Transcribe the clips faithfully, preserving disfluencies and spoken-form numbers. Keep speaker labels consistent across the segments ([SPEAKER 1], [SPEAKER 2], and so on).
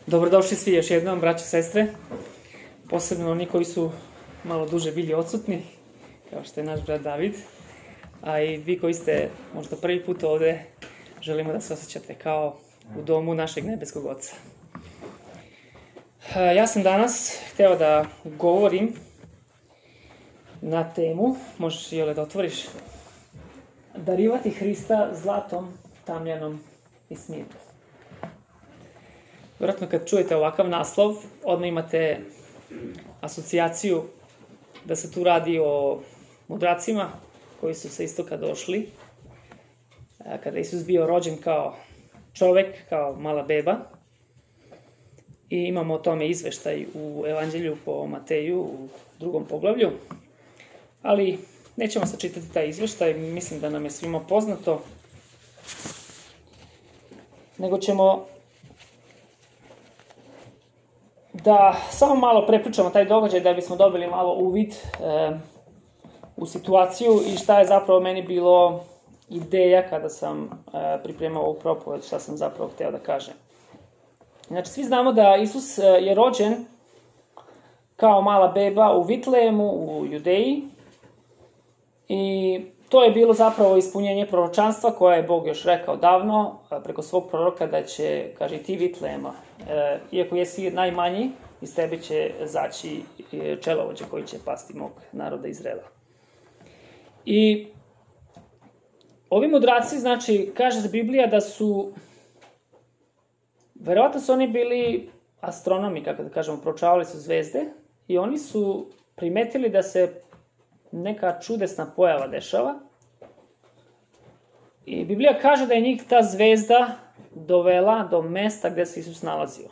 [SPEAKER 1] Dobrodošli svi još jednom, braće i sestre, posebno oni koji su malo duže bili odsutni, kao što je naš brat David, a i vi koji ste možda prvi put ovde, želimo da se osjećate kao u domu našeg nebeskog Oca. Ja sam danas hteo da govorim na temu, možeš i Jole da otvoriš, darivati Hrista zlatom, tamljanom i smirnom. Vjerojatno kad čujete ovakav naslov, odmah imate asocijaciju da se tu radi o mudracima koji su sa istoka došli. Kada je Isus bio rođen kao čovek, kao mala beba. I imamo o tome izveštaj u Evanđelju po Mateju u drugom poglavlju. Ali nećemo sad čitati taj izveštaj, mislim da nam je svima poznato. Nego ćemo da samo malo prepričamo taj događaj da bismo dobili malo uvid e, u situaciju i šta je zapravo meni bilo ideja kada sam e, pripremao ovu propoved, šta sam zapravo hteo da kažem. Znači, svi znamo da Isus je rođen kao mala beba u Vitlejemu, u Judeji, i to je bilo zapravo ispunjenje proročanstva koje je Bog još rekao davno, preko svog proroka, da će, kaže, ti Vitlejema, e, iako jesi najmanji, iz tebe će zaći čelovođa koji će pasti mog naroda Izraela. I ovi mudraci, znači, kaže Biblija da su, verovatno su oni bili astronomi, kako da kažemo, proučavali su zvezde i oni su primetili da se neka čudesna pojava dešava. I Biblija kaže da je njih ta zvezda dovela do mesta gde se Isus nalazio.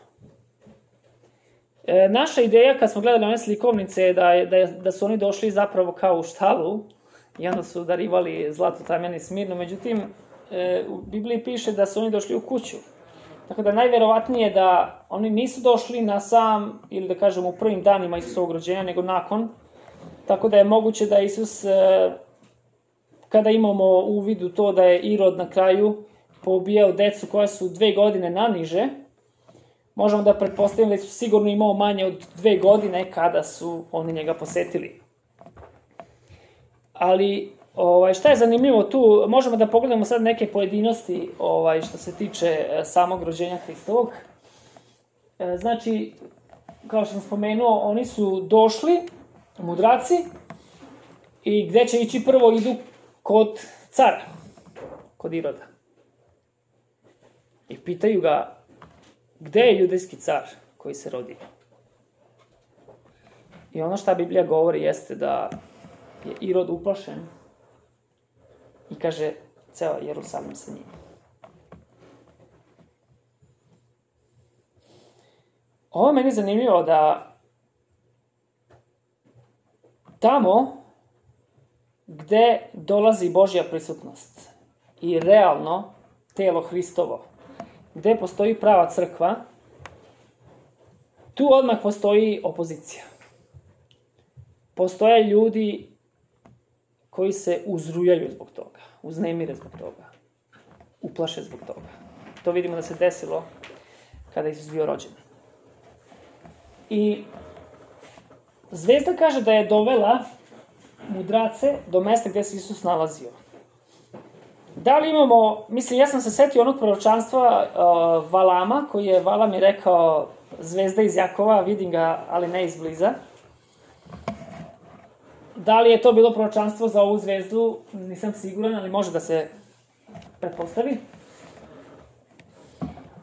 [SPEAKER 1] E, naša ideja, kad smo gledali one slikovnice, je da, je, da, je, da su oni došli zapravo kao u štalu i onda su darivali zlato, tamjano i smirno. Međutim, e, u Bibliji piše da su oni došli u kuću. Tako da najverovatnije da oni nisu došli na sam, ili da kažemo u prvim danima Isusovog rođenja, nego nakon. Tako da je moguće da Isus, kada imamo u vidu to da je Irod na kraju poubijao decu koja su dve godine naniže, možemo da pretpostavimo da su sigurno imao manje od dve godine kada su oni njega posetili. Ali ovaj, šta je zanimljivo tu, možemo da pogledamo sad neke pojedinosti ovaj, što se tiče samog rođenja Hristovog. Znači, kao što sam spomenuo, oni su došli, mudraci, i gde će ići prvo, idu kod cara, kod Iroda. I pitaju ga, gde je judejski car koji se rodio? I ono šta Biblija govori jeste da je Irod uplašen i kaže, ceo Jerusalim sa njim. Ovo je meni zanimljivo da tamo gde dolazi Božja prisutnost i realno telo Hristovo, gde postoji prava crkva, tu odmah postoji opozicija. Postoje ljudi koji se uzrujaju zbog toga, uznemire zbog toga, uplaše zbog toga. To vidimo da se desilo kada je Isus bio rođen. I zvezda kaže da je dovela mudrace do mesta gde se Isus nalazio. Da li imamo, mislim, ja sam se setio onog proročanstva uh, Valama, koji je, Valam je rekao, zvezda iz Jakova, vidim ga, ali ne izbliza. Da li je to bilo proročanstvo za ovu zvezdu, nisam siguran, ali može da se pretpostavi.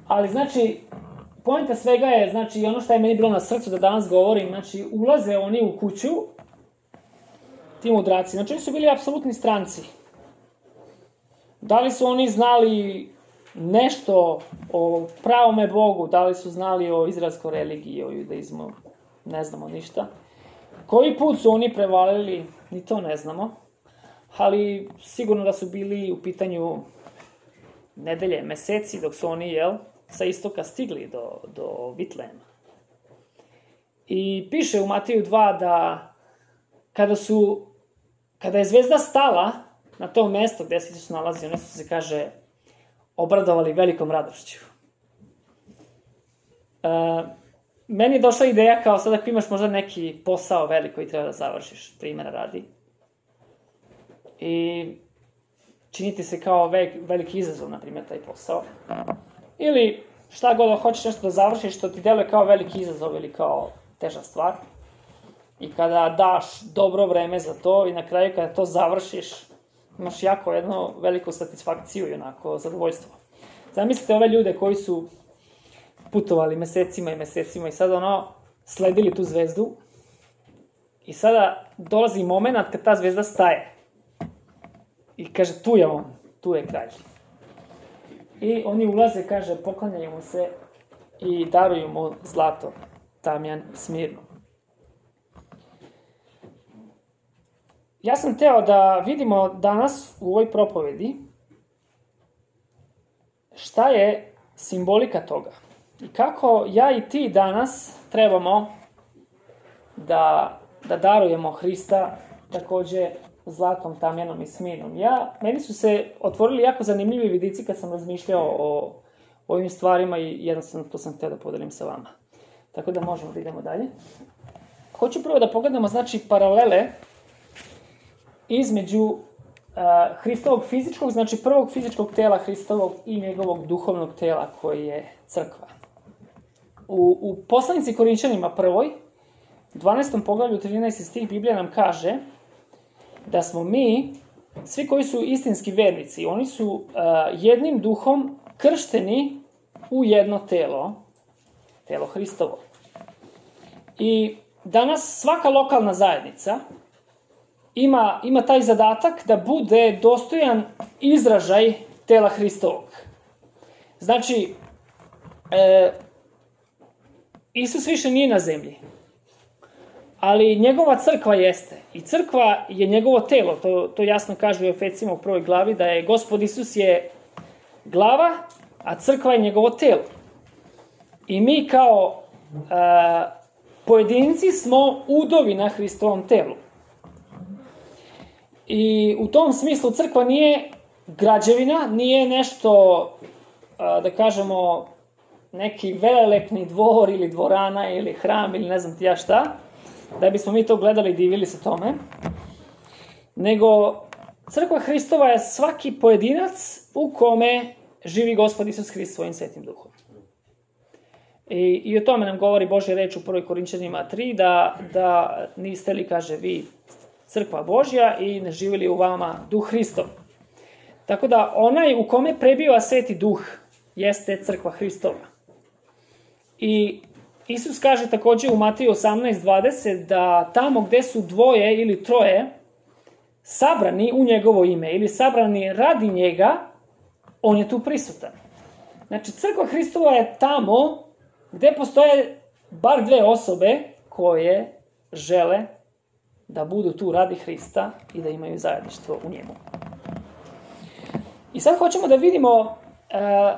[SPEAKER 1] Ali, znači, poenta svega je, znači, ono što je meni bilo na srcu da danas govorim, znači, ulaze oni u kuću, ti mudraci, znači, oni su bili apsolutni stranci. Da li su oni znali nešto o pravome Bogu, da li su znali o izraelskoj religiji, o judaizmu, ne znamo ništa. Koji put su oni prevalili, ni to ne znamo, ali sigurno da su bili u pitanju nedelje, meseci, dok su oni, jel, sa istoka stigli do, do Vitlejema. I piše u Mateju dva da kada su, kada je zvezda stala na to mesto gde se Isus nalazi, one su se, kaže, obradovali velikom radošću. E, meni je došla ideja kao sad ako imaš možda neki posao velik koji treba da završiš, primjera radi. I činiti se kao velik, veliki izazov, na primjer, taj posao. Ili šta god hoćeš nešto da završiš što ti deluje kao veliki izazov ili kao teža stvar. I kada daš dobro vreme za to i na kraju kada to završiš, imaš jako jednu veliku satisfakciju i onako zadovoljstvo. Zamislite ove ljude koji su putovali mesecima i mesecima i sada ono sledili tu zvezdu i sada dolazi moment kad ta zvezda staje. I kaže, tu je on, tu je kralj. I oni ulaze, kaže, poklanjaju mu se i daruju mu zlato, tamjan, smirno. Ja sam teo da vidimo danas u ovoj propovedi šta je simbolika toga. I kako ja i ti danas trebamo da, da darujemo Hrista takođe zlatom, tamjanom i smirnom. Ja, meni su se otvorili jako zanimljivi vidici kad sam razmišljao o, o ovim stvarima i jednostavno to sam htio da podelim sa vama. Tako da možemo da idemo dalje. Hoću prvo da pogledamo, znači, paralele između uh, Hristovog fizičkog, znači prvog fizičkog tela Hristovog i njegovog duhovnog tela koji je crkva. U, u poslanici Korinčanima prvoj, dvanaestom poglavlju, trinaesti stih, Biblija nam kaže da smo mi, svi koji su istinski vernici, oni su uh, jednim duhom kršteni u jedno telo, telo Hristovo. I danas svaka lokalna zajednica ima, ima taj zadatak da bude dostojan izražaj tela Hristovog. Znači, e, Isus više nije na zemlji, ali njegova crkva jeste. I crkva je njegovo telo, to, to jasno kaže u Efesima u prvoj glavi, da je Gospod Isus je glava, a crkva je njegovo telo. I mi kao e, pojedinci smo udovi na Hristovom telu. I u tom smislu crkva nije građevina, nije nešto, da kažemo, neki velelepni dvor ili dvorana ili hram ili ne znam ti ja šta, da bismo mi to gledali i divili se tome. Nego crkva Hristova je svaki pojedinac u kome živi Gospod Isus Hrist svojim svetim duhom. I, i o tome nam govori Božja reč u prvoj Korinčanima tri, da, da niste li, kaže, vi crkva Božja i ne živi li u vama duh Hristov. Tako da onaj u kome prebiva sveti duh jeste crkva Hristova. I Isus kaže takođe u Mateju osamnaest dvadeset da tamo gde su dvoje ili troje sabrani u njegovo ime ili sabrani radi njega, on je tu prisutan. Znači, crkva Hristova je tamo gde postoje bar dve osobe koje žele da budu tu radi Hrista i da imaju zajedništvo u njemu. I sad hoćemo da vidimo, e,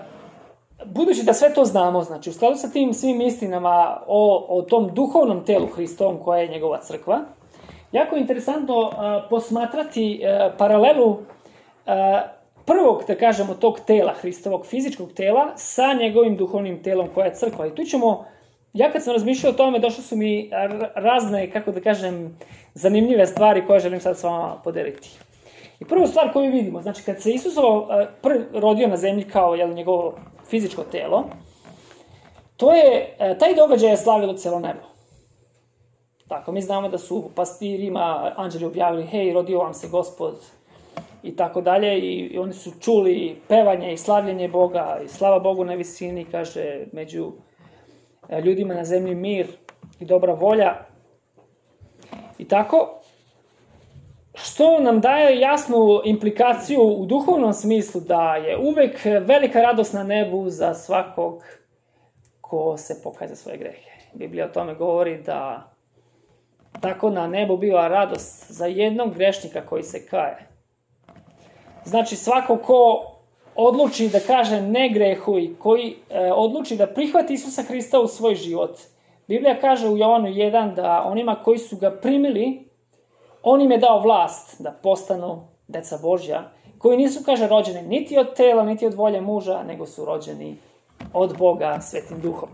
[SPEAKER 1] budući da sve to znamo, znači u skladu sa tim svim istinama o, o tom duhovnom telu Hristovom koja je njegova crkva, jako je interesantno e, posmatrati e, paralelu e, prvog, da kažemo, tog tela Hristovog, fizičkog tela, sa njegovim duhovnim telom koja je crkva. I tu ćemo, ja kad sam razmišljao o tome, došle su mi razne, kako da kažem, zanimljive stvari koje želim sad s vama podeliti. I prvu stvar koju vidimo, znači kad se Isusovo prvi rodio na zemlji kao jel, njegovo fizičko telo, to je, taj događaj je slavilo celo nebo. Tako, mi znamo da su pastirima anđeli objavili, hej, rodio vam se Gospod, i tako dalje, i oni su čuli pevanje i slavljenje Boga, i slava Bogu na visini, kaže, među ljudima na zemlji mir i dobra volja. I tako, što nam daje jasnu implikaciju u duhovnom smislu da je uvek velika radost na nebu za svakog ko se pokaje za svoje grehe. Biblija o tome govori da tako na nebu biva radost za jednog grešnika koji se kaje. Znači, svako ko odluči da kaže ne grehu i koji e, odluči da prihvati Isusa Hrista u svoj život. Biblija kaže u Jovanu jedan da onima koji su ga primili, on im je dao vlast da postanu deca Božja koji nisu, kaže, rođeni niti od tela, niti od volje muža, nego su rođeni od Boga Svetim Duhom.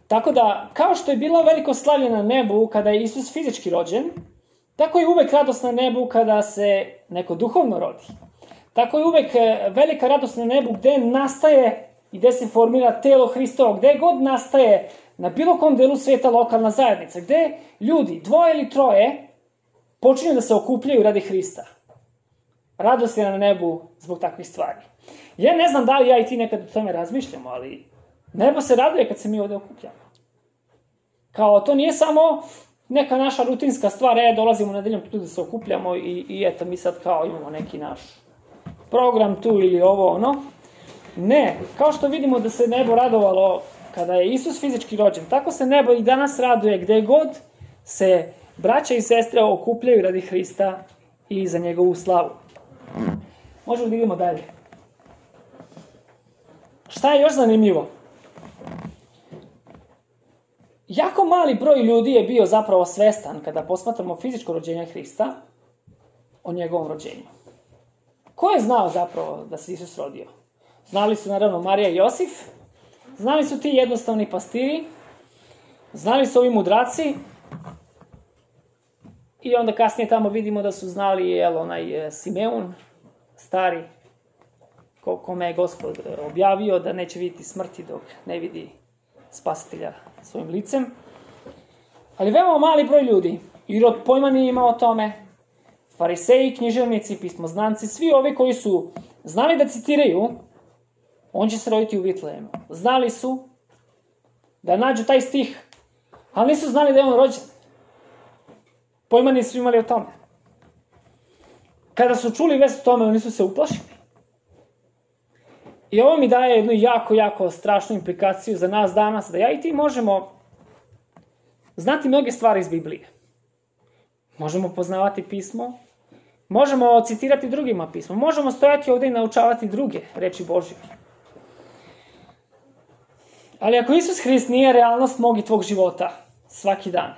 [SPEAKER 1] Tako da, kao što je bilo veliko slavlje na nebu kada je Isus fizički rođen, tako je uvek radost na nebu kada se neko duhovno rodi. Tako je uvek velika radost na nebu gde nastaje i gde se formira telo Hristovo, gde god nastaje na bilo kom delu sveta lokalna zajednica, gde ljudi, dvoje ili troje, počinju da se okupljaju radi Hrista. Radost je na nebu zbog takvih stvari. Ja ne znam da li ja i ti nekad o tome razmišljamo, ali nebo se raduje kad se mi ovde okupljamo. Kao, to nije samo neka naša rutinska stvar, e, dolazimo nedeljom tu da se okupljamo i, i eto, mi sad kao imamo neki naš program tu ili ovo, ono. Ne, kao što vidimo da se nebo radovalo kada je Isus fizički rođen, tako se nebo i danas raduje gde god se braća i sestre okupljaju radi Hrista i za njegovu slavu. Možemo da idemo dalje. Šta je još zanimljivo? Jako mali broj ljudi je bio zapravo svestan kada posmatramo fizičko rođenje Hrista o njegovom rođenju. Ko je znao zapravo da se Isus rodio? Znali su naravno Marija i Josif, znali su ti jednostavni pastiri, znali su ovi mudraci i onda kasnije tamo vidimo da su znali jel, onaj Simeon, stari, kome je Gospod objavio da neće vidjeti smrti dok ne vidi spasitelja svojim licem. Ali veoma mali broj ljudi, Irod pojma nije imao o tome, fariseji, književnici, pismoznanci, svi ovi koji su znali da citiraju, on će se roditi u Vitlehemu. Znali su da nađu taj stih, ali nisu znali da je on rođen. Pojma nisu imali o tome. Kada su čuli vest o tome, oni su se uplašili. I ovo mi daje jednu jako, jako strašnu implikaciju za nas danas, da ja i ti možemo znati mnoge stvari iz Biblije. Možemo poznavati pismo, možemo citirati drugima pismo, možemo stojati ovde i naučavati druge reči Božje. Ali ako Isus Hrist nije realnost mog i tvog života, svaki dan,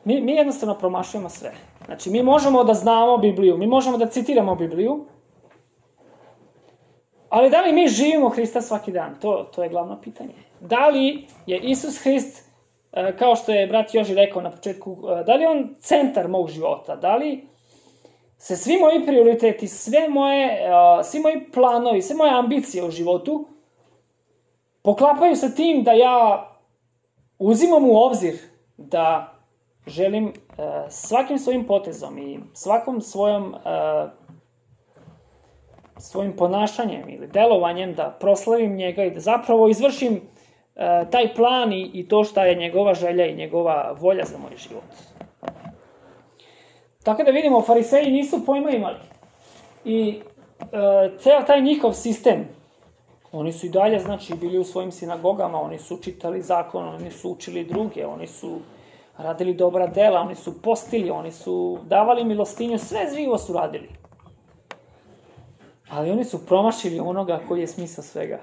[SPEAKER 1] mi, mi jednostavno promašujemo sve. Znači, mi možemo da znamo Bibliju, mi možemo da citiramo Bibliju, ali da li mi živimo Hrista svaki dan? To, to je glavno pitanje. Da li je Isus Hrist, kao što je brat Joži rekao na početku, da li je on centar mog života? Da li se svi moji prioriteti, sve moje, svi moji planovi, sve moje ambicije u životu poklapaju sa tim da ja uzimam u obzir da želim svakim svojim potezom i svakom svojom svojim ponašanjem ili delovanjem da proslavim njega i da zapravo izvršim uh, taj plan i, i to šta je njegova želja i njegova volja za moj život. Tako da vidimo, fariseji nisu pojma imali. I uh, ceo taj njihov sistem, oni su i dalje, znači, bili u svojim sinagogama, oni su čitali zakon, oni su učili druge, oni su radili dobra dela, oni su postili, oni su davali milostinju, sve živo su radili. Ali oni su promašili onoga koji je smisao svega.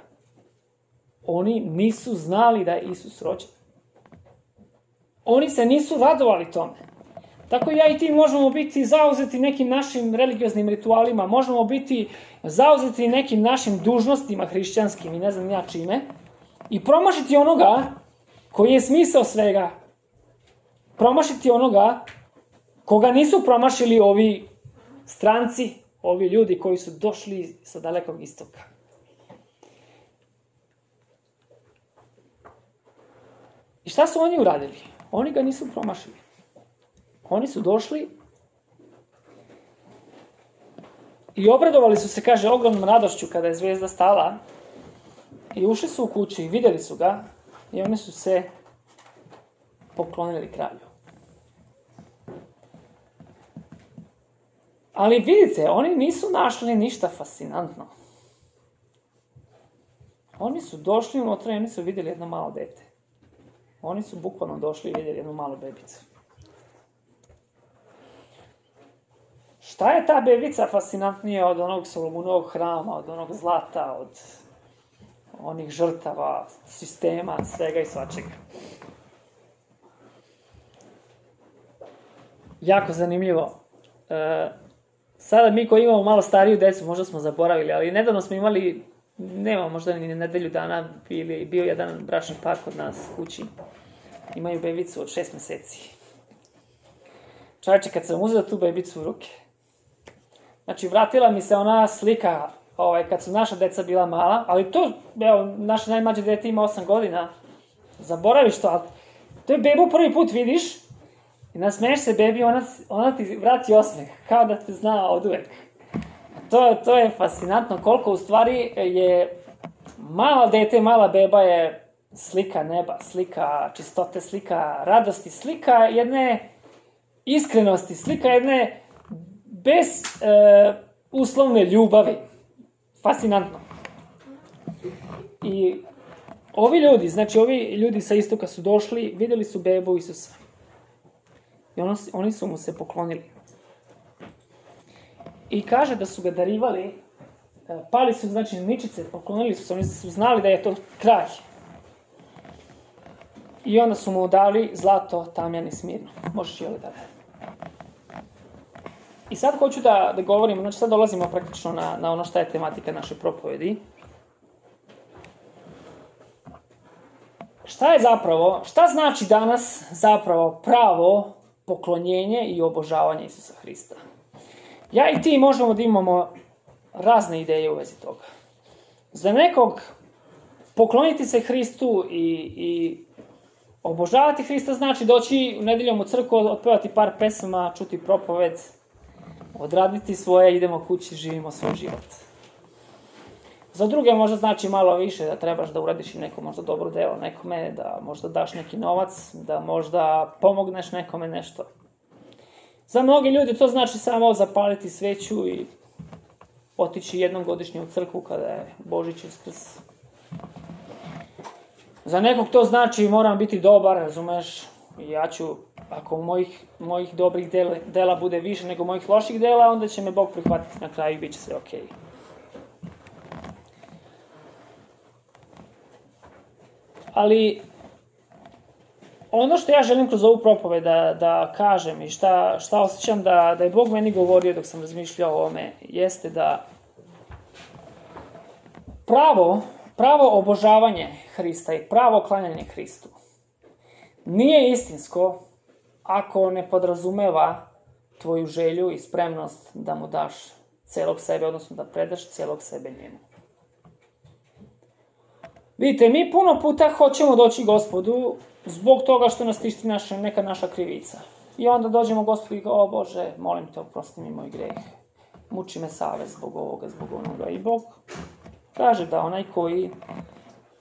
[SPEAKER 1] Oni nisu znali da je Isus rođen. Oni se nisu radovali tome. Tako ja i ti možemo biti zauzeti nekim našim religioznim ritualima, možemo biti zauzeti nekim našim dužnostima hrišćanskim i ne znam ja čime, i promašiti onoga koji je smisao svega. Promašiti onoga koga nisu promašili ovi stranci, ovi ljudi koji su došli sa dalekog istoka. I šta su oni uradili? Oni ga nisu promašili. Oni su došli i obradovali su se, kaže, ogromnom radošću kada je zvezda stala i ušli su u kući i videli su ga i oni su se poklonili kralju. Ali vidite, oni nisu našli ništa fascinantno. Oni su došli unutra i oni su vidjeli jedno malo dete. Oni su bukvalno došli i vidjeli jednu malu bebicu. Šta je ta bebica fascinantnija od onog Solomunovog hrama, od onog zlata, od onih žrtava, sistema, svega i svačega? Jako zanimljivo. uh, sada mi koji imamo malo stariju decu, možda smo zaboravili, ali nedavno smo imali, nema možda ni nedelju dana, bili, bio jedan bračni par kod nas kući. Imaju bebicu od šest meseci. Čovječe, kad sam uzela tu bebicu u ruke, znači vratila mi se ona slika ovaj, kad su naša deca bila mala, ali to, evo, naše najmlađe dete ima osam godina, zaboraviš to, ali to je bebu prvi put vidiš i nasmeješ se bebi, ona, ona ti vrati osmeh, kao da te zna od uvek. To, to je fascinantno koliko u stvari je mala dete, mala beba je slika neba, slika čistote, slika radosti, slika jedne iskrenosti, slika jedne bez e, uslovne ljubavi. Fascinantno. I ovi ljudi, znači ovi ljudi sa istoka su došli, vidjeli su bebu Isusa. I ono, oni su mu se poklonili. I kaže da su ga darivali, pali su, znači, ničice, poklonili su se, oni su znali da je to kralj. I onda su mu dali zlato, tamjan i smirno. Možeš i ovdje dalje. I sad hoću da, da govorim, znači sad dolazimo praktično na, na ono šta je tematika naše propovedi. Šta je zapravo, šta znači danas zapravo pravo poklonjenje i obožavanje Isusa Hrista? Ja i ti možemo da imamo razne ideje u vezi toga. Za nekog pokloniti se Hristu i, i obožavati Hrista znači doći u nedeljom u crkvu, otpevati par pesama, čuti propoved, odraditi svoje, idemo kući, živimo svoj život. Za druge možda znači malo više, da trebaš da uradiš i neko možda dobro delo nekome, da možda daš neki novac, da možda pomogneš nekome nešto. Za mnogi ljudi to znači samo zapaliti sveću i otići jednom godišnje u crkvu kada je Božić Uskrs. Za nekog to znači moram biti dobar, razumeš, i ja ću, ako mojih, mojih dobrih dela, dela bude više nego mojih loših dela, onda će me Bog prihvatiti na kraju i bit će sve okej. Okay. Ali ono što ja želim kroz ovu propoved da, da kažem i šta, šta osjećam da, da je Bog meni govorio dok sam razmišljao o ovome, jeste da pravo, pravo obožavanje Hrista i pravo klanjanje Hristu nije istinsko ako ne podrazumeva tvoju želju i spremnost da mu daš celog sebe, odnosno da predaš celog sebe njemu. Vidite, mi puno puta hoćemo doći Gospodu zbog toga što nas tišti naša, neka naša krivica. I onda dođemo Gospodu i kao, o Bože, molim te, oprosti mi moj greh. Muči me savest zbog ovoga, zbog onoga. I Bog kaže da onaj koji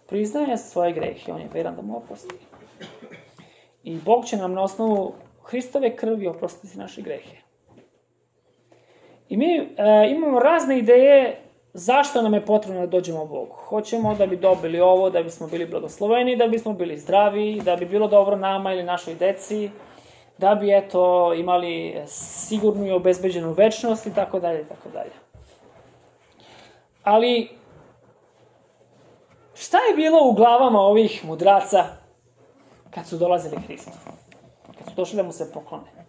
[SPEAKER 1] priznaje svoje grehe, on je veran da mu oprosti. I Bog će nam na osnovu Hristove krvi oprostiti naše grehe. I mi e, imamo razne ideje zašto nam je potrebno da dođemo Bogu. Hoćemo da bi dobili ovo, da bismo bili blagosloveni, da bismo bili zdravi, da bi bilo dobro nama ili našoj deci, da bi, eto, imali sigurnu i obezbeđenu večnost i tako dalje, i tako dalje. Ali, šta je bilo u glavama ovih mudraca kad su dolazili Hristu? Kad su došli da mu se poklone?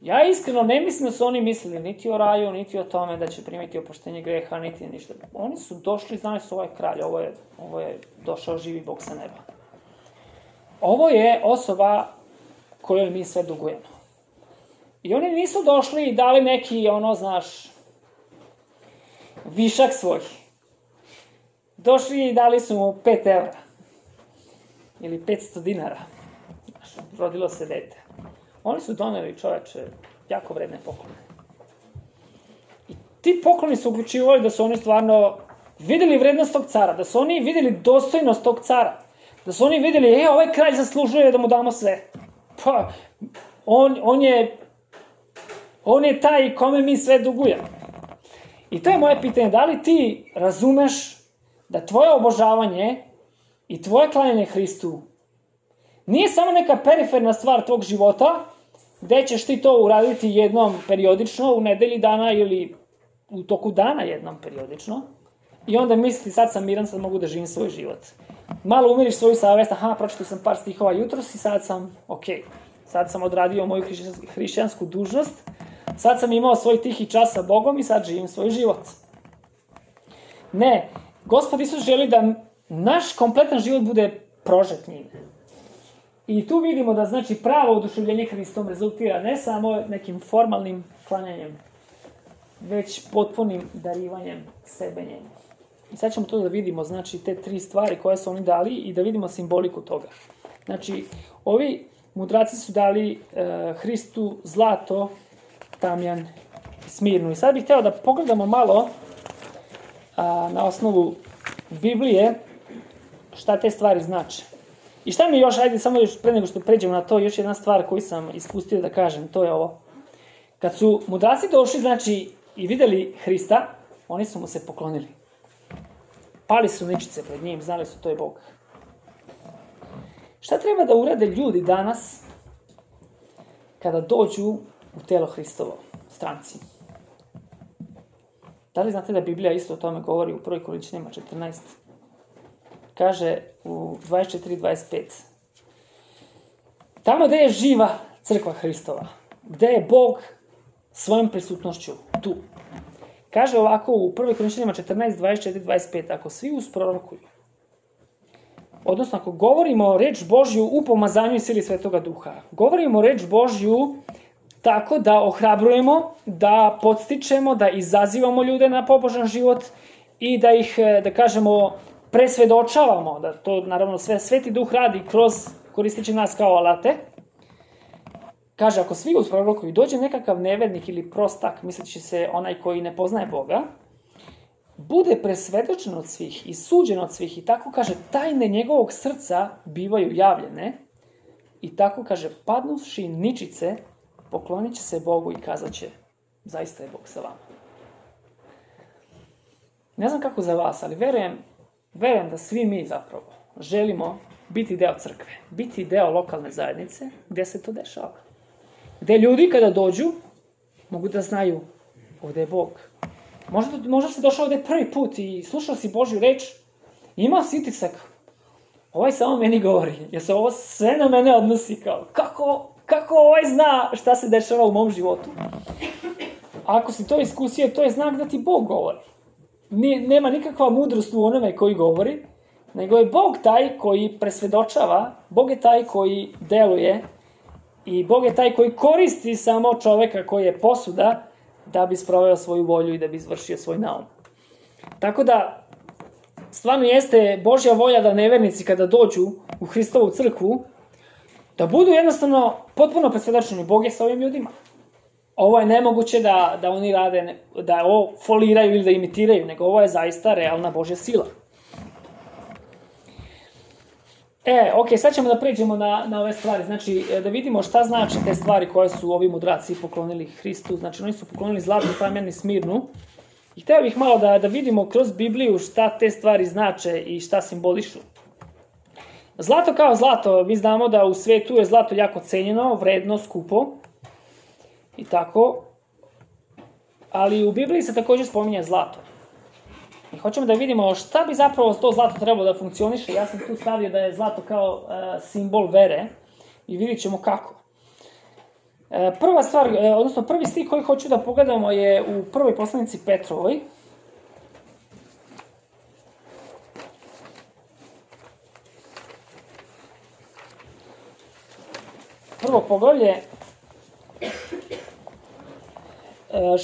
[SPEAKER 1] Ja iskreno ne mislim da su oni mislili niti o raju, niti o tome da će primiti oproštenje greha, niti ništa. Oni su došli, znali su, ovaj kralj, ovo je, ovo je došao živi Bog sa neba. Ovo je osoba kojoj mi sve dugujemo. I oni nisu došli i dali neki, ono, znaš, višak svoj. Došli i dali su mu pet evra. Ili petsto dinara. Znaš, rodilo se dete. Oni su doneli, čoveče, jako vredne poklone. I ti pokloni su uključivali da su oni stvarno videli vrednost tog cara, da su oni videli dostojnost tog cara, da su oni videli, e, ovaj kralj zaslužuje da mu damo sve. Pa, on, on je, on je taj kome mi sve dugujemo. I to je moje pitanje, da li ti razumeš da tvoje obožavanje i tvoje klanjanje Hristu nije samo neka periferna stvar tvog života, gde ćeš ti to uraditi jednom periodično, u nedelji dana ili u toku dana jednom periodično, i onda misliti, sad sam miran, sad mogu da živim svoj život. Malo umiriš svoju savest, aha, pročitao sam par stihova jutros i sad sam, okej, sad sam odradio moju hrišćansku dužnost, sad sam imao svoj tihi čas sa Bogom i sad živim svoj život. Ne, Gospod Isus želi da naš kompletan život bude prožet njime. I tu vidimo da znači pravo oduševljenje Hristom rezultira ne samo nekim formalnim klanjanjem, već potpunim darivanjem sebe njemu. I sad ćemo to da vidimo, znači te tri stvari koje su oni dali i da vidimo simboliku toga. Znači, ovi mudraci su dali e, Hristu zlato, tamjan i smirnu. I sad bih hteo da pogledamo malo a, na osnovu Biblije šta te stvari znače. I šta mi još, ajde samo još pre nego što pređemo na to, još jedna stvar koju sam ispustio da kažem, to je ovo. Kad su mudraci došli, znači, i videli Hrista, oni su mu se poklonili. Pali su ničice pred njim, znali su to je Bog. Šta treba da urade ljudi danas kada dođu u telo Hristovo, stranci? Da li znate da Biblija isto o tome govori u prvoj Korinćanima četrnaest? Kaže u dvadeset četiri dvadeset pet. Tamo gde je živa crkva Hristova, gde je Bog svojom prisutnošću tu. Kaže ovako u prvoj Korinćanima četrnaest dvadeset četiri dvadeset pet, ako svi usprorokuju, odnosno ako govorimo reč Božju u pomazanju i sili Svetoga Duha, govorimo reč Božju tako da ohrabrujemo, da podstičemo, da izazivamo ljude na pobožan život i da ih, da kažemo, presvedočavamo, da to naravno sve Sveti Duh radi kroz, koristeći nas kao alate. Kaže, ako svi usprorokuju, dođe nekakav nevernik ili prostak, misleći se onaj koji ne poznaje Boga, bude presvedočen od svih i suđen od svih i tako, kaže, tajne njegovog srca bivaju javljene i tako, kaže, padnuvši ničice, poklonit će se Bogu i kazat će, zaista je Bog sa vama. Ne znam kako za vas, ali verujem, verujem da svi mi zapravo želimo biti deo crkve, biti deo lokalne zajednice gdje se to dešava. Gde ljudi kada dođu mogu da znaju ovdje je Bog. Možda, možda si došao ovdje prvi put i slušao si Božju reč, imao si utisak, ovaj samo meni govori, jer se ovo sve na mene odnosi kao, kako, kako ovaj zna šta se dešava u mom životu. A ako si to iskusio, to je znak da ti Bog govori. Ni, nema nikakva mudrost u onome koji govori, nego je Bog taj koji presvedočava, Bog je taj koji deluje i Bog je taj koji koristi samo čoveka koji je posuda da bi sproveo svoju volju i da bi izvršio svoj naum. Tako da, stvarno jeste Božja volja da nevernici kada dođu u Hristovu crkvu, da budu jednostavno potpuno presvedočeni, Bog je sa ovim ljudima. Ovo je nemoguće da, da oni rade, da ovo foliraju ili da imitiraju, nego ovo je zaista realna Božja sila. E, ok, sad ćemo da pređemo na, na ove stvari, znači da vidimo šta znači te stvari koje su ovi mudraci poklonili Hristu, znači oni su poklonili zlatnu, tamjan i smirnu. I hteo bih malo da, da vidimo kroz Bibliju šta te stvari znače i šta simbolišu. Zlato kao zlato, mi znamo da u svetu je zlato jako cenjeno, vredno, skupo i tako, ali u Bibliji se također spominje zlato. I hoćemo da vidimo šta bi zapravo to zlato trebalo da funkcioniše. Ja sam tu stavio da je zlato kao uh, simbol vere i vidit ćemo kako. Uh, prva stvar, uh, odnosno prvi stih koji hoću da pogledamo je u prvoj poslanici Petrovoj. Prvo poglavlje, uh,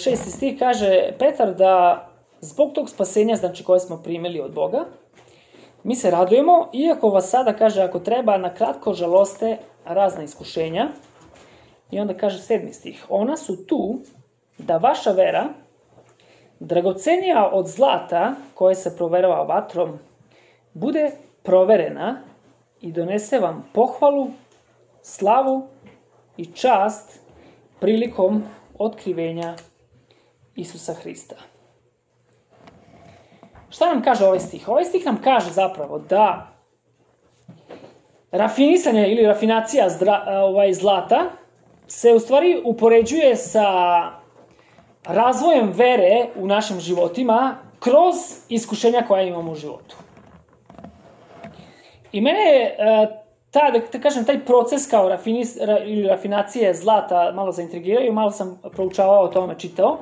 [SPEAKER 1] šesti stih kaže Petar da zbog tog spasenja, znači koje smo primili od Boga, mi se radujemo, iako vas sada, kaže, ako treba, na kratko žaloste razna iskušenja. I onda kaže sedmi stih, ona su tu da vaša vera, dragocenija od zlata koje se proverava vatrom, bude proverena i donese vam pohvalu, slavu i čast prilikom otkrivenja Isusa Hrista. Šta nam kaže ovaj stih? Ovaj stih nam kaže zapravo da rafinisanje ili rafinacija zdra, ovaj, zlata se u stvari upoređuje sa razvojem vere u našim životima kroz iskušenja koja imamo u životu. I mene je ta, da, da kažem, taj proces kao rafinis, ra, ili rafinacije zlata malo zaintrigiraju, malo sam proučavao o tome, čitao.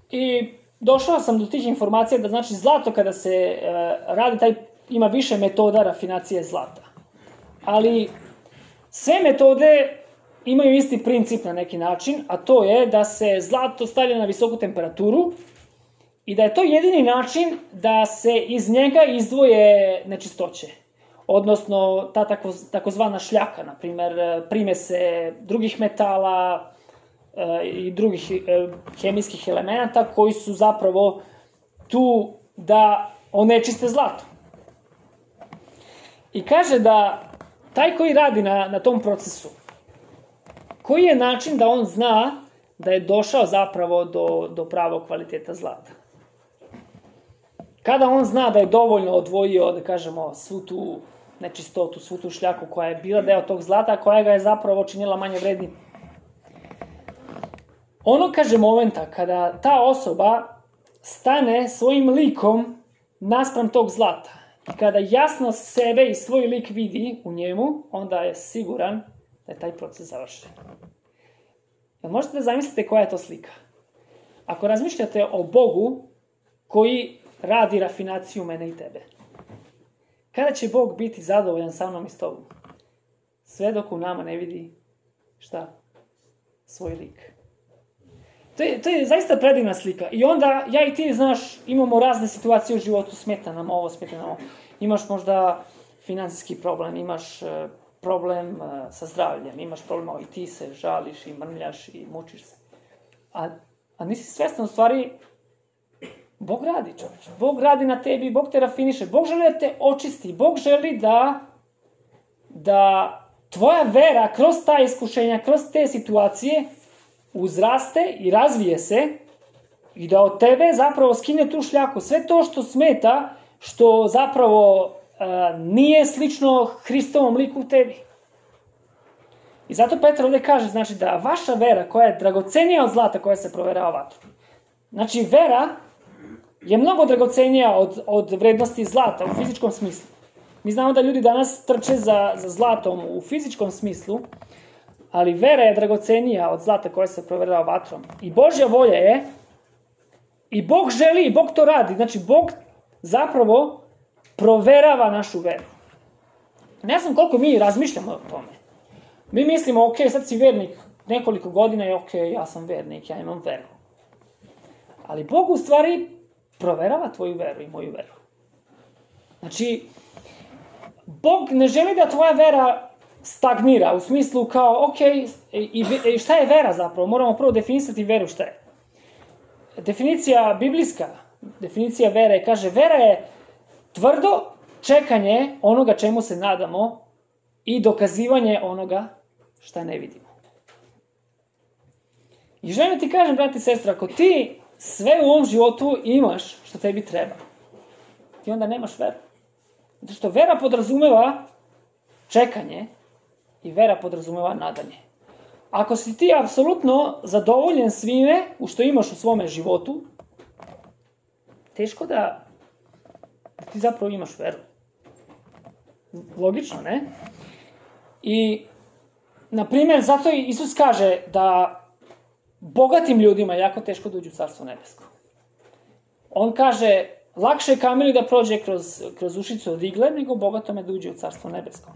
[SPEAKER 1] I došao sam do tih informacija da znači zlato kada se e, radi, taj, ima više metoda rafinacije zlata. Ali sve metode imaju isti princip na neki način, a to je da se zlato stavlja na visoku temperaturu i da je to jedini način da se iz njega izdvoje nečistoće. Odnosno, ta tako, takozvana šljaka, na primer, primese drugih metala e, i drugih e, hemijskih elemenata koji su zapravo tu da onečiste zlato. I kaže da taj koji radi na, na tom procesu, koji je način da on zna da je došao zapravo do, do pravog kvaliteta zlata? Kada on zna da je dovoljno odvojio, da kažemo, svu tu nečistotu, svu tu šljaku koja je bila deo tog zlata, koja ga je zapravo činila manje vrednim. Ono, kaže, momenta kada ta osoba stane svojim likom naspram tog zlata i kada jasno sebe i svoj lik vidi u njemu, onda je siguran da je taj proces završen. Jel možete da zamislite koja je to slika? Ako razmišljate o Bogu koji radi rafinaciju mene i tebe, kada će Bog biti zadovoljan sa mnom i s tobom? Sve dok u nama ne vidi šta? Svoj lik. To je, to je zaista predivna slika. I onda, ja i ti, znaš, imamo razne situacije u životu, smeta nam ovo, smeta nam ovo. Imaš možda finansijski problem, imaš problem sa zdravljem, imaš problem, i ti se žališ i mrmljaš i mučiš se. A, a nisi svestan, u stvari, Bog radi, čovječe. Bog radi na tebi, Bog te rafiniše, Bog želi da te očisti, Bog želi da, da tvoja vera kroz ta iskušenja, kroz te situacije uzraste i razvije se i da od tebe zapravo skine tu šljaku. Sve to što smeta, što zapravo a, nije slično Hristovom liku u tebi. I zato Petar ovdje kaže, znači, da vaša vera koja je dragocenija od zlata koja se proverava vatrom. Znači, vera je mnogo dragocenija od, od vrednosti zlata u fizičkom smislu. Mi znamo da ljudi danas trče za, za zlatom u fizičkom smislu, ali vera je dragocenija od zlata koja se proverava vatrom. I Božja volja je, i Bog želi, i Bog to radi. Znači, Bog zapravo proverava našu veru. Ne znam koliko mi razmišljamo o tome. Mi mislimo, ok, sad si vernik nekoliko godina i ok, ja sam vernik, ja imam veru. Ali Bog u stvari proverava tvoju veru i moju veru. Znači, Bog ne želi da tvoja vera stagnira, u smislu kao, ok, i, i šta je vera zapravo? Moramo prvo definisati veru šta je. Definicija biblijska, definicija vere, kaže, vera je tvrdo čekanje onoga čemu se nadamo i dokazivanje onoga šta ne vidimo. I želim ti kažem, brati i sestra, ako ti sve u ovom životu imaš što tebi treba, ti onda nemaš veru. Zato što vera podrazumeva čekanje i vera podrazumeva nadanje. Ako si ti apsolutno zadovoljen svime u što imaš u svome životu, teško da, da ti zapravo imaš veru. Logično, ne? I, na primjer, zato i Isus kaže da bogatim ljudima je jako teško da uđu u Carstvo nebesko. On kaže, lakše je kamenu da prođe kroz, kroz ušicu od igle, nego bogatome da uđe u Carstvo nebesko.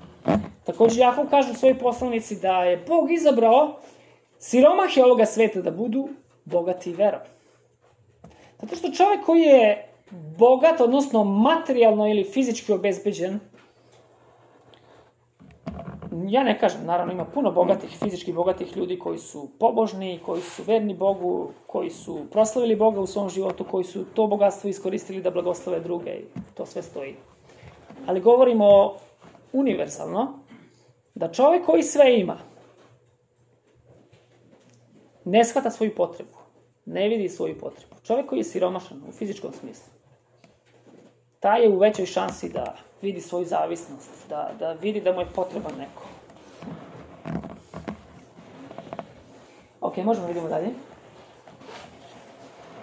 [SPEAKER 1] Također, Jakov kaže u svojoj poslanici da je Bog izabrao siromahe ovoga sveta da budu bogati verom. Zato što čovjek koji je bogat, odnosno materijalno ili fizički obezbeđen, ja ne kažem, naravno ima puno bogatih, fizički bogatih ljudi koji su pobožni, koji su verni Bogu, koji su proslavili Boga u svom životu, koji su to bogatstvo iskoristili da blagoslove druge i to sve stoji. Ali govorimo univerzalno, da čovjek koji sve ima ne shvata svoju potrebu, ne vidi svoju potrebu. Čovjek koji je siromašan u fizičkom smislu, taj je u većoj šansi da vidi svoju zavisnost, da, da vidi da mu je potreban neko. Ok, možemo vidimo dalje.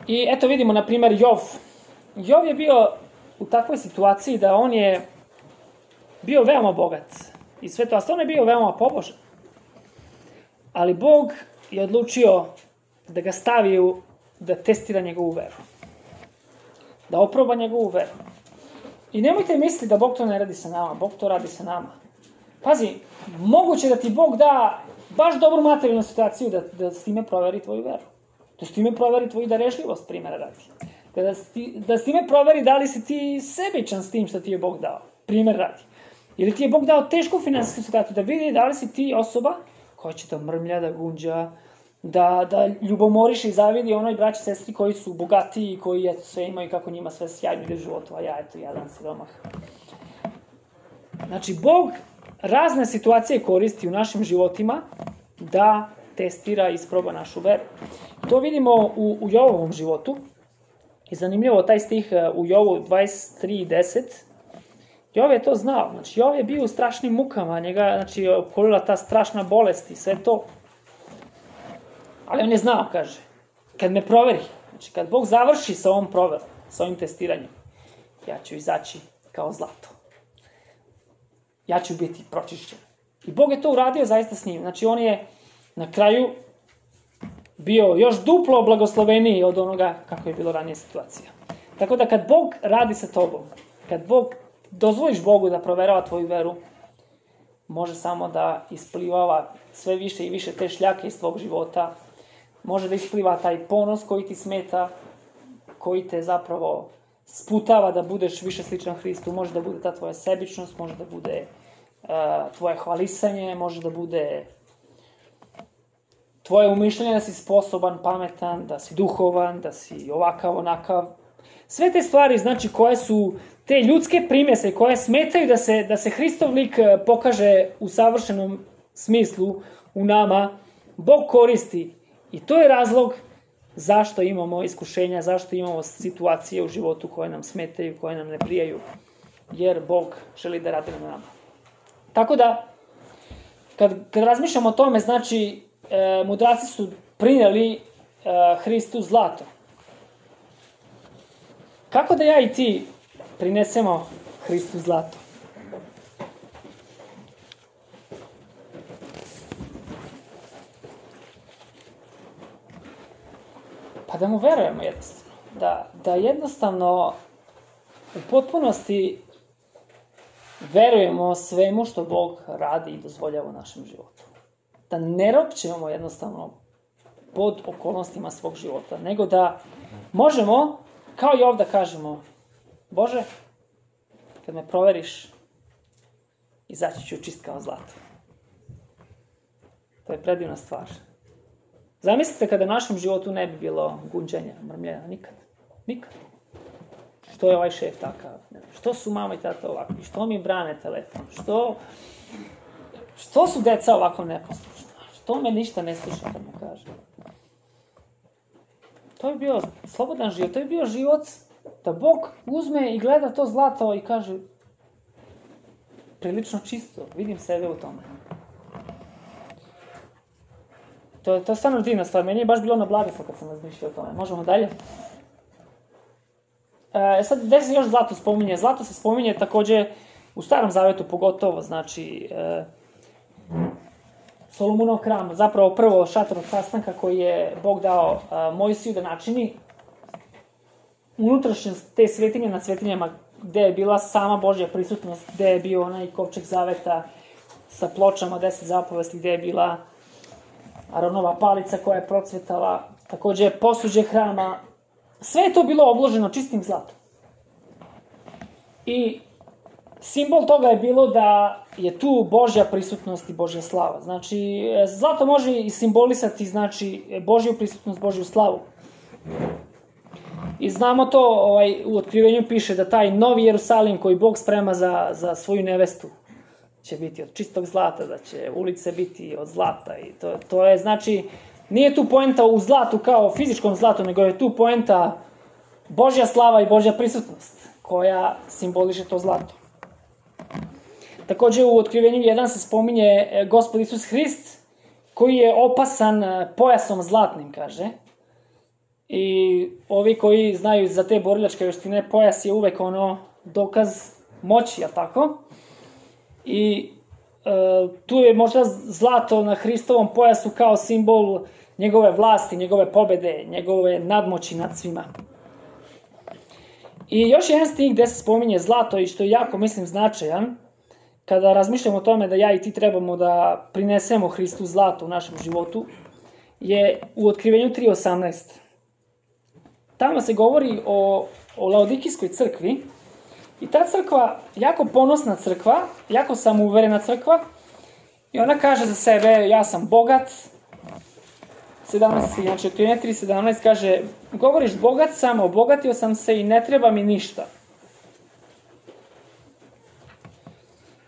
[SPEAKER 1] I eto vidimo, na primjer, Jov. Jov je bio u takvoj situaciji da on je bio veoma bogat. i sve to, a stvarno je bio veoma pobožan. Ali Bog je odlučio da ga stavi u, da testira njegovu veru. Da oproba njegovu veru. I nemojte misliti da Bog to ne radi sa nama, Bog to radi sa nama. Pazi, moguće da ti Bog da baš dobru materijalnu situaciju da, da s time proveri tvoju veru. Da s time proveri tvoju darešljivost, primjera radi. Da, sti, da s time proveri da li si ti sebičan s tim što ti je Bog dao, primjer radi. Ili ti je Bog dao tešku finansijsku situaciju, da vidi da li si ti osoba koja će da mrmlja, da gunđa, da, da ljubomoriš i zavidi onoj braći sestri koji su bogatiji, koji eto, sve imaju kako njima sve sjajno ide u životu, a ja eto, jadan siromah. Znači, Bog razne situacije koristi u našim životima da testira i isproba našu veru. To vidimo u, u Jovovom životu. I zanimljivo taj stih u Jovu dvadeset tri deset. Jov je to znao. Znači, Jov je bio u strašnim mukama. Njega, znači, okolila ta strašna bolest i sve to. Ali on je znao, kaže, kad me proveri, znači, kad Bog završi sa ovom proverom, sa ovim testiranjem, ja ću izaći kao zlato. Ja ću biti pročišćen. I Bog je to uradio zaista s njim. Znači, on je na kraju bio još duplo blagosloveniji od onoga kako je bilo ranije situacija. Tako da kad Bog radi sa tobom, kad Bog dozvoliš Bogu da proverava tvoju veru, može samo da isplivava sve više i više te šljake iz tvog života, može da ispliva taj ponos koji ti smeta, koji te zapravo sputava da budeš više sličan Hristu, može da bude ta tvoja sebičnost, može da bude uh, tvoje hvalisanje, može da bude tvoje umišljanje da si sposoban, pametan, da si duhovan, da si ovakav, onakav. Sve te stvari, znači, koje su te ljudske primjese koje smetaju da se, da se Hristov lik pokaže u savršenom smislu u nama, Bog koristi. I to je razlog zašto imamo iskušenja, zašto imamo situacije u životu koje nam smetaju, koje nam ne prijaju, jer Bog želi da radi na nama. Tako da, kad, kad razmišljamo o tome, znači, e, mudraci su prinijeli e, Hristu zlato. Kako da ja i ti prinesemo Hristu zlato? Pa da mu verujemo jednostavno. Da, da jednostavno u potpunosti verujemo svemu što Bog radi i dozvoljava u našem životu. Da ne ropćemo jednostavno pod okolnostima svog života, nego da možemo, kao i ovdje kažemo, Bože, kad me proveriš, izaći ću čist kao zlato. To je predivna stvar. Zamislite kada u našem životu ne bi bilo gunđenja, mrmljenja, nikad. Nikad. Što je ovaj šef takav? Što su mama i tata ovakvi? Što mi brane telefon? Što, što su deca ovako neposlušna? Što me ništa ne sluša kad mu kaže? To je bio slobodan život. To je bio život da Bog uzme i gleda to zlato i kaže prilično čisto. Vidim sebe u tome. To, to je stvarno divna stvar. Meni je baš bilo na blagoslov kad sam razmišljao o tome. Možemo dalje? E, sad, gde se još zlato spominje? Zlato se spominje također u Starom Zavetu pogotovo, znači e, Solomunov hram, zapravo prvo šator od sastanka koji je Bog dao a, Mojsiju da načini. Unutrašnjost te svetinje nad svetinjama gde je bila sama Božja prisutnost, gde je bio onaj kovčeg zaveta sa pločama deset zapovesti, gde je bila Aronova palica koja je procvetala, također posuđe hrama, sve je to bilo obloženo čistim zlatom. I simbol toga je bilo da je tu Božja prisutnost i Božja slava. Znači, zlato može i simbolisati, znači, Božju prisutnost, Božju slavu. I znamo to, ovaj, u Otkrivenju piše da taj novi Jerusalim koji Bog sprema za, za svoju nevestu će biti od čistog zlata, da će ulice biti od zlata. I to, to je, znači, nije tu poenta u zlatu kao fizičkom zlatu, nego je tu poenta Božja slava i Božja prisutnost, koja simboliše to zlato. Također u Otkrivenju jedan se spominje Gospod Isus Hrist, koji je opasan pojasom zlatnim, kaže. I ovi koji znaju za te borilačke vještine, pojas je uvek ono dokaz moći, a tako? I tu je možda zlato na Hristovom pojasu kao simbol njegove vlasti, njegove pobede, njegove nadmoći nad svima. I još jedan stih gde se spominje zlato i što je jako, mislim, značajan, kada razmišljamo o tome da ja i ti trebamo da prinesemo Hristu zlato u našem životu, je u Otkrivenju tri osamnaest. Tamo se govori o, o Laodikijskoj crkvi i ta crkva, jako ponosna crkva, jako samouverena crkva i ona kaže za sebe, ja sam bogat, sedamnaest, znači Otkrivenje tri sedamnaest kaže, govoriš bogat sam, obogatio sam se i ne treba mi ništa.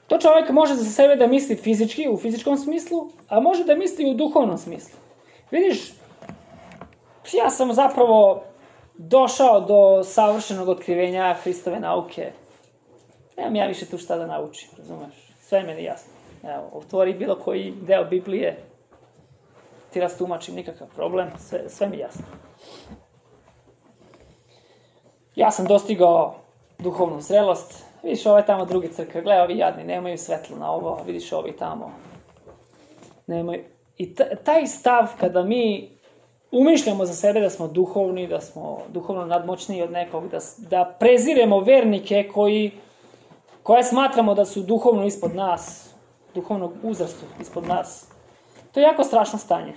[SPEAKER 1] To čovjek može za sebe da misli fizički, u fizičkom smislu, a može da misli u duhovnom smislu. Vidiš, ja sam zapravo došao do savršenog otkrivenja Hristove nauke. Nemam ja više tu šta da naučim, razumeš? Sve je meni jasno. Evo, otvori bilo koji deo Biblije, ti rastumačim, nikakav problem, sve, sve mi jasno. Ja sam dostigao duhovnu zrelost, vidiš ove tamo druge crkve, gledaj, ovi jadni, nemaju svetlo na ovo, vidiš ovi tamo, nemaju. I taj stav kada mi umišljamo za sebe da smo duhovni, da smo duhovno nadmoćniji od nekog, da, da preziremo vernike koji, koje smatramo da su duhovno ispod nas, duhovnog uzrastu ispod nas, to je jako strašno stanje.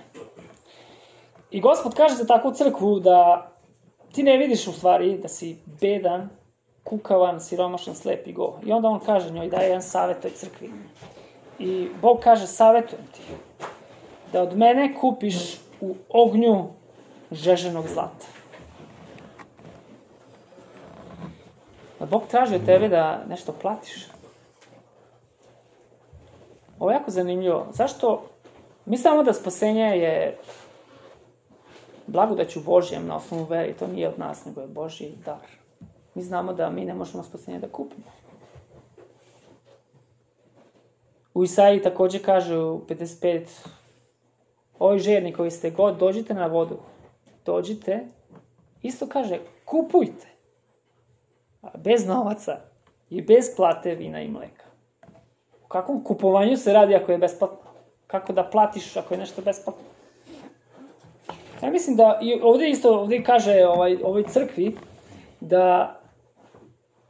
[SPEAKER 1] I Gospod kaže za takvu crkvu da ti ne vidiš u stvari da si bedan, kukavan, siromašan, slep i go. I onda on kaže njoj, daje jedan savjet toj crkvi. I Bog kaže, savjetujem ti da od mene kupiš u ognju žeženog zlata. Da Bog traži od tebe da nešto platiš. Ovo je jako zanimljivo. Zašto? Mi znamo da spasenje je blagodaću Božjem na osnovu vere, to nije od nas, nego je Božji dar. Mi znamo da mi ne možemo spasenje da kupimo. U Isaiji također kaže u pedeset pet, ovi žerni koji ste god, dođite na vodu. Dođite, isto kaže, kupujte. Bez novaca i bez plate vina i mleka. U kakvom kupovanju se radi ako je besplatno? Kako da platiš ako je nešto besplatno? Ja mislim da, i ovdje isto, ovdje kaže ovaj, ovoj crkvi, da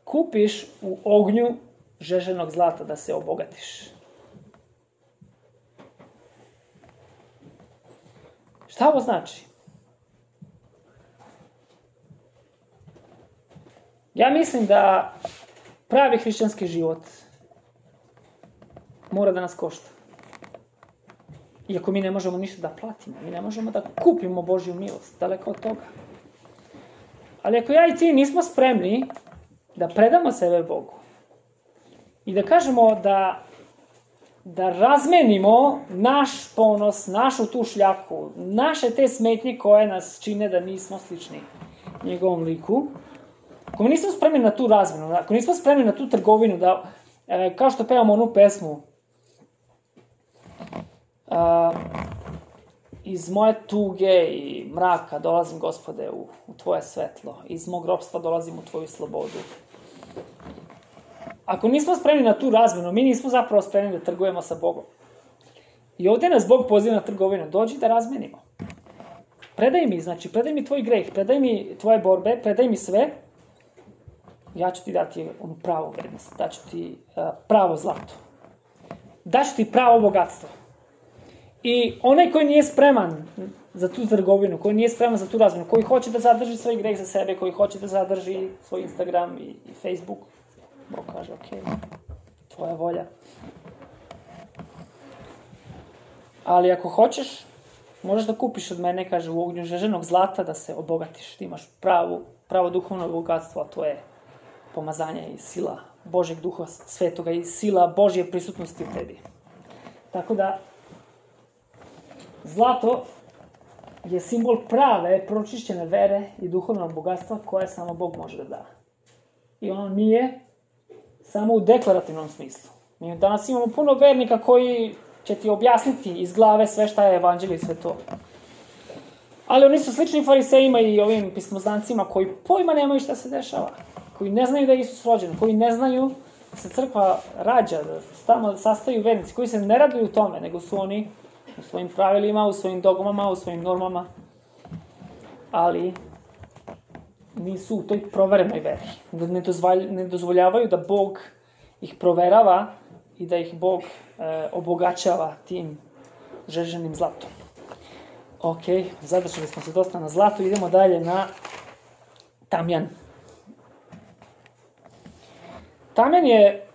[SPEAKER 1] kupiš u ognju žeženog zlata, da se obogatiš. Šta ovo znači? Ja mislim da pravi hrišćanski život mora da nas košta. Iako mi ne možemo ništa da platimo, mi ne možemo da kupimo Božju milost, daleko od toga. Ali ako ja i ti nismo spremni da predamo sebe Bogu i da kažemo da, da razmenimo naš ponos, našu tu šljaku, naše te smetnje koje nas čine da nismo slični njegovom liku, ako mi nismo spremni na tu razmenu, ako nismo spremni na tu trgovinu, da, e, kao što pevamo onu pesmu, Uh, iz moje tuge i mraka dolazim, Gospode, u, u tvoje svetlo. Iz mog ropstva dolazim u tvoju slobodu. Ako nismo spremni na tu razmenu, mi nismo zapravo spremni da trgujemo sa Bogom. I ovdje nas Bog poziva na trgovinu. Dođi da razmenimo. Predaj mi, znači, predaj mi tvoj greh, predaj mi tvoje borbe, predaj mi sve. Ja ću ti dati onu pravu vrednost. Daću ti uh, pravo zlato. Daću ti pravo bogatstvo. I onaj koji nije spreman za tu trgovinu, koji nije spreman za tu razmenu, koji hoće da zadrži svoj greh za sebe, koji hoće da zadrži svoj Instagram i, i Facebook, Bog kaže, ok, tvoja volja. Ali ako hoćeš, možeš da kupiš od mene, kaže, u ognju žeženog zlata da se obogatiš. Ti imaš pravu, pravo duhovno bogatstvo, a to je pomazanje i sila Božjeg duha svetoga i sila Božje prisutnosti u tebi. Tako da, zlato je simbol prave, pročišćene vere i duhovnog bogatstva koje samo Bog može da da. I ono nije samo u deklarativnom smislu. Mi danas imamo puno vernika koji će ti objasniti iz glave sve šta je evanđelje i sve to. Ali oni su slični farisejima i ovim pismoznancima koji pojma nemaju šta se dešava. Koji ne znaju da je Isus rođen, koji ne znaju se crkva rađa, da tamo sastaju vernici koji se ne raduju tome, nego su oni u svojim pravilima, u svojim dogmama, u svojim normama, ali nisu u toj proverenoj veri. Ne, dozvalj, ne dozvoljavaju da Bog ih proverava i da ih Bog e, obogaćava tim žeženim zlatom. Ok, zadržali smo se dosta na zlatu, idemo dalje na tamjan. Tamjan je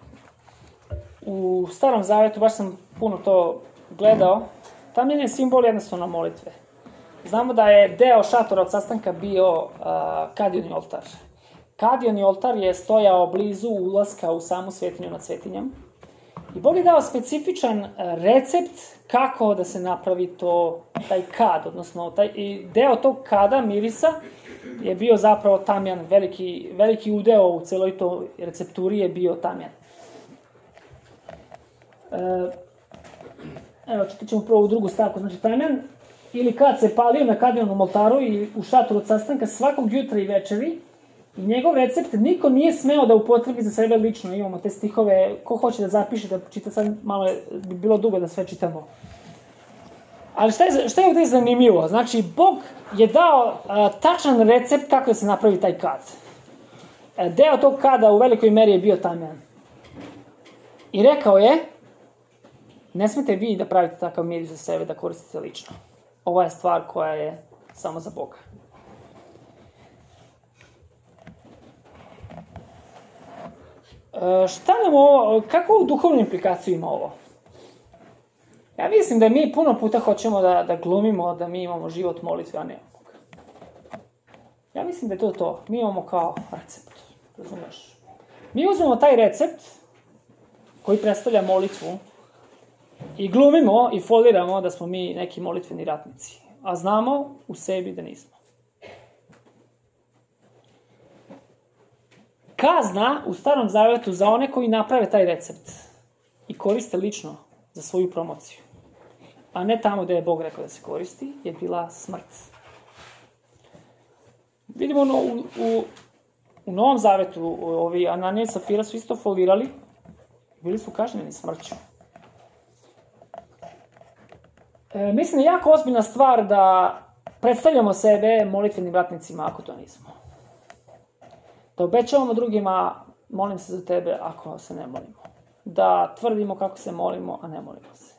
[SPEAKER 1] u Starom Zavetu, baš sam puno to gledao, tamjan je simbol jednostavno molitve. Znamo da je deo šatora od sastanka bio uh, kadioni oltar. Kadioni oltar je stojao blizu ulaska u samu svetinju nad svetinjom. I Bog je dao specifičan recept kako da se napravi to, taj kad, odnosno taj, i deo tog kada, mirisa, je bio zapravo tamjan, veliki, veliki udeo u celoj toj recepturi je bio tamjan. E, evo, čitat ćemo prvo u drugu stavku. Znači, tamjan, ili kad se palio na kadionom oltaru i u šatoru od sastanka svakog jutra i večeri, i njegov recept niko nije smeo da upotrebi za sebe lično. Imamo te stihove, ko hoće da zapiše, da čita, sad malo je, bi bilo dugo da sve čitamo. Ali šta je, šta je ovdje zanimljivo? Znači, Bog je dao a, tačan recept kako da se napravi taj kad. E, deo tog kada u velikoj meri je bio tamjan. I rekao je, ne smete vi da pravite takav miris za sebe, da koristite lično. Ova je stvar koja je samo za Boga. E, šta nam ovo, kakvu duhovnu implikaciju ima ovo? Ja mislim da mi puno puta hoćemo da, da glumimo, da mi imamo život molitve, a nemamo ga. Ja mislim da je to to. Mi imamo kao recept, razumeš? Mi uzmemo taj recept koji predstavlja molitvu i glumimo i foliramo da smo mi neki molitveni ratnici, a znamo u sebi da nismo. Kazna u Starom Zavetu za one koji naprave taj recept i koriste lično za svoju promociju, a ne tamo gde je Bog rekao da se koristi, je bila smrt. Vidimo no, u, u, u Novom Zavetu, ovi Ananija i Safira su isto folirali, bili su kažnjeni smrću. E, mislim da je jako ozbiljna stvar da predstavljamo sebe molitvenim ratnicima ako to nismo. Da obećavamo drugima, molim se za tebe ako se ne molimo. Da tvrdimo kako se molimo, a ne molimo se.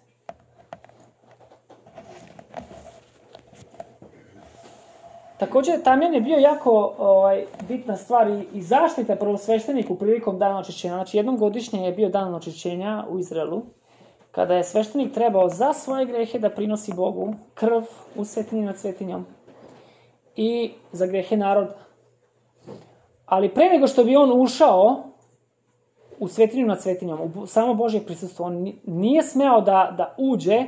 [SPEAKER 1] Također, tamjan je bio jako ovaj, bitna stvar i, i zaštita prvosvešteniku prilikom dana očišćenja. Znači, jednom godišnje je bio dan očišćenja u Izraelu, kada je sveštenik trebao za svoje grehe da prinosi Bogu krv u svetinji nad svetinjom i za grehe naroda. Ali pre nego što bi on ušao u svetinju nad svetinjom, u samo Božje prisustvo, on nije smeo da, da uđe,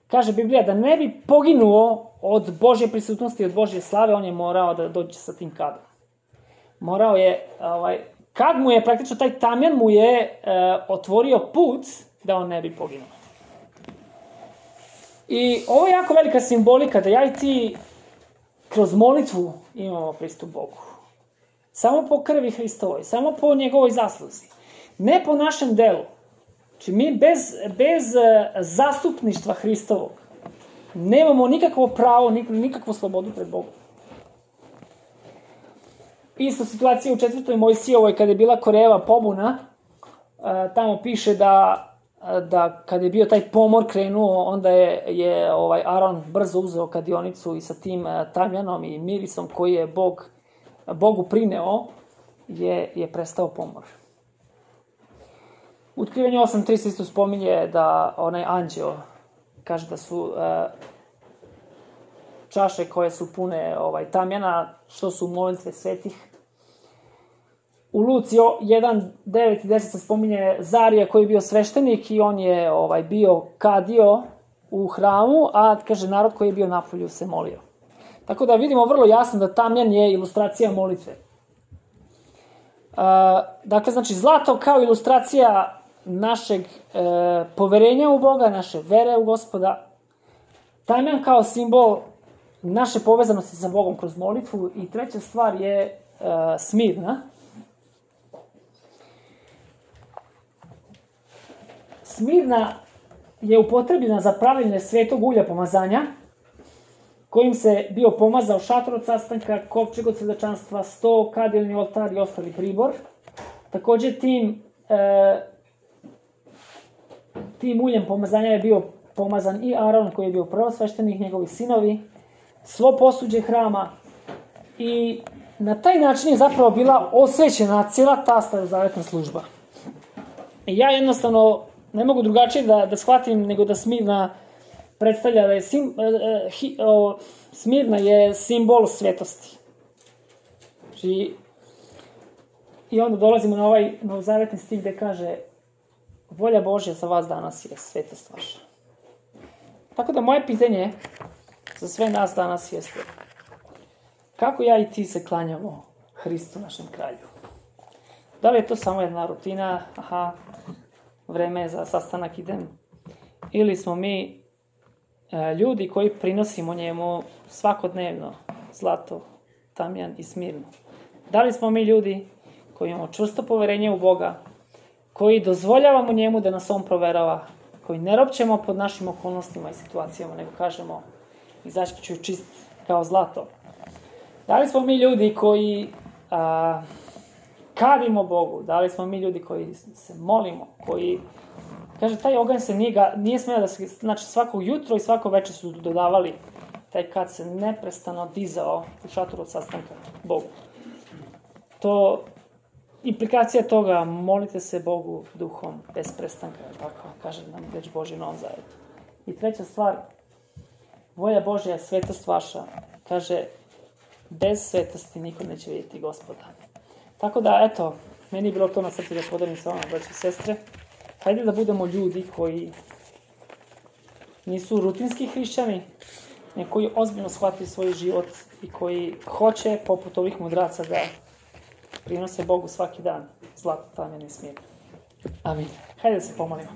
[SPEAKER 1] kaže Biblija, da ne bi poginuo od Božje prisutnosti i od Božje slave, on je morao da dođe sa tim kadom. Morao je, ovaj, kad mu je praktično taj tamjan mu je e, otvorio put da on ne bi poginuo. I ovo je jako velika simbolika da ja i ti kroz molitvu imamo pristup Bogu. Samo po krvi Hristovoj, samo po njegovoj zasluzi. Ne po našem delu. Znači mi bez, bez zastupništva Hristovog nemamo nikakvo pravo, nikakvu slobodu pred Bogom. Isto situacija u četvrtoj Mojsijevoj kada je bila Korejeva pobuna, tamo piše da, da kad je bio taj pomor krenuo, onda je, je ovaj Aron brzo uzeo kadionicu i sa tim tamjanom i mirisom koji je Bog, Bogu prineo, je, je prestao pomor. U Otkrivenju osam tri se isto spominje da onaj anđeo kaže da su e, čaše koje su pune ovaj, tamjana, što su molitve svetih. U Luci jedan, devet i deset se spominje Zarija koji je bio sveštenik i on je ovaj, bio kadio u hramu, a kaže narod koji je bio napolju se molio. Tako da vidimo vrlo jasno da tamjan je ilustracija molitve. E, dakle, znači zlato kao ilustracija našeg e, poverenja u Boga, naše vere u Gospoda. Tamjan kao simbol naše povezanosti sa Bogom kroz molitvu. I treća stvar je e, Smirna. Smirna je upotrebljena za pravljenje svetog ulja pomazanja, kojim se bio pomazao šator od sastanka, kovčeg od svedočanstva, sto, kadiljni oltar i ostali pribor. Također tim, e, tim uljem pomazanja je bio pomazan i Aron, koji je bio prvosveštenik, njegovi sinovi, svo posuđe hrama, i na taj način je zapravo bila osvećena cijela ta starozavetna služba. I ja jednostavno ne mogu drugačije da, da shvatim nego da Smirna predstavlja da je sim, eh, hi, o, Smirna je simbol svetosti. Znači, i onda dolazimo na ovaj novozavetni stih gde kaže: volja Božja za vas danas je svetost vaša. Tako da moje pitanje za sve nas danas jeste: kako ja i ti se klanjamo Hristu, našem kralju? Da li je to samo jedna rutina, aha, vreme je za sastanak, idem, ili smo mi e, ljudi koji prinosimo njemu svakodnevno zlato, tamjan i Smirnu? Da li smo mi ljudi koji imamo čvrsto poverenje u Boga, koji dozvoljavamo njemu da nas on proverava, koji ne ropćemo pod našim okolnostima i situacijama, nego kažemo: izaći ću čist kao zlato? Da li smo mi ljudi koji a, kadimo Bogu? Da li smo mi ljudi koji se molimo, koji, kaže, taj oganj se nije, ga, nije smeo da se, znači svakog jutro i svako večer su dodavali taj kad se neprestano dizao u šatoru od sastanka Bogu. To, implikacija toga, molite se Bogu duhom bez prestanka, tako kaže nam reč Božja u Novom Zavetu. I treća stvar, volja Božja je svetost vaša, kaže: bez svetosti niko neće vidjeti Gospoda. Tako da, eto, meni je bilo to na srcu da podelim sa vama, braći i sestre. Hajde da budemo ljudi koji nisu rutinski hrišćani, nego koji ozbiljno shvatili svoj život i koji hoće, poput ovih mudraca, da prinose Bogu svaki dan zlato, tamjan i Smirnu. Amin. Hajde da se pomolimo.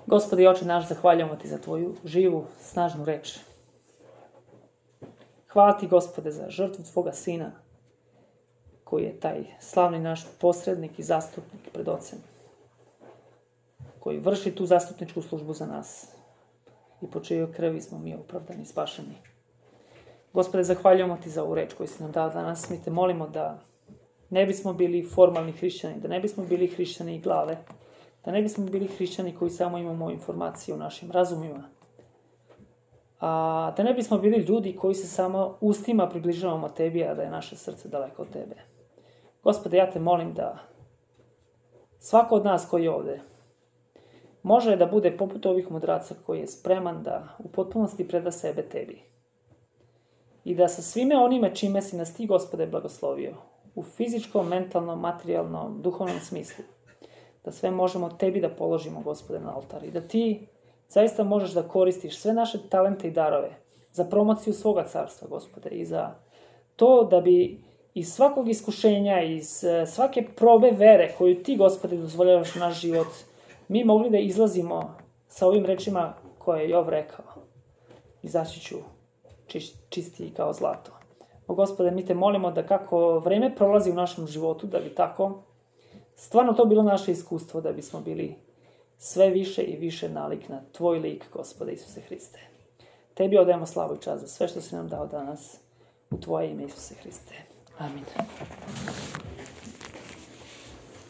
[SPEAKER 1] Gospodi Oče naš, zahvaljujemo ti za tvoju živu, snažnu reč. Hvala ti, Gospode, za žrtvu tvoga Sina, koji je taj slavni naš posrednik i zastupnik pred Ocem, koji vrši tu zastupničku službu za nas i po čijoj krvi smo mi opravdani i spašeni. Gospode, zahvaljujemo ti za ovu reč koju si nam dao danas. Mi te molimo da ne bismo bili formalni hrišćani, da ne bismo bili hrišćani i glave, da ne bismo bili hrišćani koji samo imamo informacije u našim razumima, a da ne bismo bili ljudi koji se samo ustima približavamo tebi, a da je naše srce daleko od tebe. Gospode, ja te molim da svako od nas koji je ovde može da bude poput ovih mudraca koji je spreman da u potpunosti preda sebe tebi. I da sa svime onime čime si nas ti, Gospode, blagoslovio, u fizičkom, mentalnom, materijalnom, duhovnom smislu, da sve možemo tebi da položimo, Gospode, na oltar. I da ti zaista možeš da koristiš sve naše talente i darove za promociju svoga carstva, Gospode, i za to da bi iz svakog iskušenja, iz svake probe vere koju ti, Gospode, dozvoljavaš u naš život, mi mogli da izlazimo sa ovim rečima koje je Jov rekao: izaći ću čistiji kao zlato. O, Gospode, mi te molimo da kako vreme prolazi u našem životu, da bi tako stvarno to bilo naše iskustvo, da bismo bili sve više i više nalik na tvoj lik, Gospode Isuse Hriste. Tebi odajemo slavu i čast za sve što si nam dao danas, u tvoje ime, Isuse Hriste. Amin.